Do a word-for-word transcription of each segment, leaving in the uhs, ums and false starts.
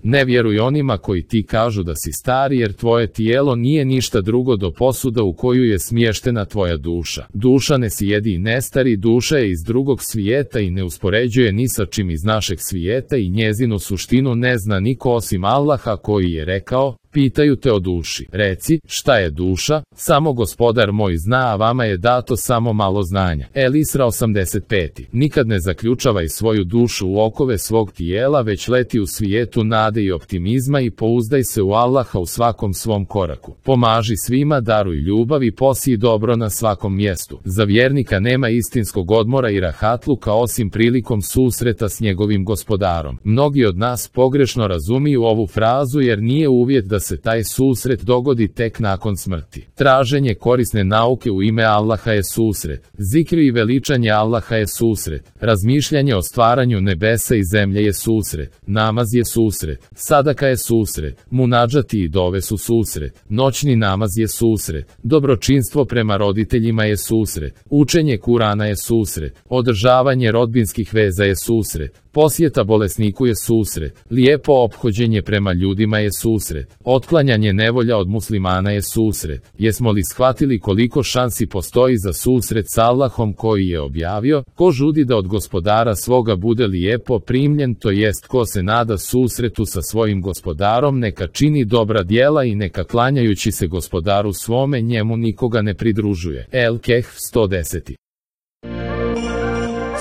Ne vjeruj onima koji ti kažu da si star, jer tvoje tijelo nije ništa drugo do posuda u koju je smještena tvoja duša. Duša ne sjedi i ne stari, duša je iz drugog svijeta i ne uspoređuje ni sa čim iz našeg svijeta i njezinu suštinu ne zna niko osim Allaha koji je rekao: pitaju te o duši. Reci, šta je duša? Samo Gospodar moj zna, a vama je dato samo malo znanja. El Isra osamdeset pet. Nikad ne zaključavaj svoju dušu u okove svog tijela, već leti u svijetu nade i optimizma i pouzdaj se u Allaha u svakom svom koraku. Pomaži svima, daruj ljubav i posij dobro na svakom mjestu. Za vjernika nema istinskog odmora i rahatluka osim prilikom susreta s njegovim Gospodarom. Mnogi od nas pogrešno razumiju ovu frazu jer nije uvjet da se taj susret dogodi tek nakon smrti. Traženje korisne nauke u ime Allaha je susret. Zikri i veličanje Allaha je susret. Razmišljanje o stvaranju nebesa i zemlje je susret. Namaz je susret. Sadaka je susret. Munadžati i dove su susret. Noćni namaz je susret. Dobročinstvo prema roditeljima je susret. Učenje Kurana je susret. Održavanje rodbinskih veza je susret. Posjeta bolesniku je susret. Lijepo ophođenje prema ljudima je susret. Otklanjanje nevolja od muslimana je susret. Jesmo li shvatili koliko šansi postoji za susret s Allahom koji je objavio: ko žudi da od Gospodara svoga bude lijepo primljen, to jest ko se nada susretu sa svojim Gospodarom, neka čini dobra djela i neka klanjajući se Gospodaru svome njemu nikoga ne pridružuje. El Kehf sto deset.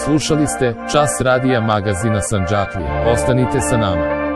Slušali ste Čas radija magazina Sandžaklije. Ostanite sa nama.